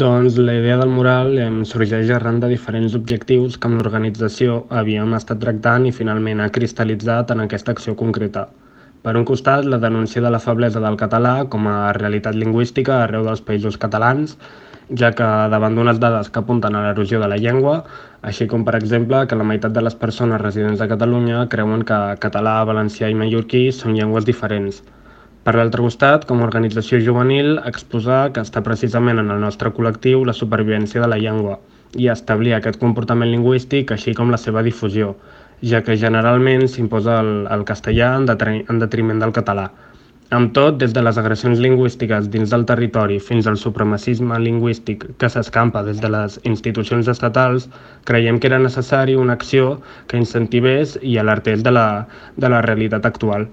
Doncs la idea del mural sorgeix arran de diferents objectius que amb l'organització havíem estat tractant i finalment ha cristal·litzat en aquesta acció concreta. Per un costat, la denúncia de la feblesa del català com a realitat lingüística arreu dels països catalans, ja que davant d'unes dades que apunten a l'erosió de la llengua, així com per exemple que la meitat de les persones residents a Catalunya creuen que català, valencià i mallorquí són llengües diferents. Per l'altre costat, com a organització juvenil, exposar que està precisament en el nostre col·lectiu la supervivència de la llengua i establir aquest comportament lingüístic així com la seva difusió, ja que generalment s'imposa el castellà en detriment del català. Amb tot, des de les agressions lingüístiques dins del territori fins al supremacisme lingüístic que s'escampa des de les institucions estatals, creiem que era necessari una acció que incentivés i alertés de la realitat actual.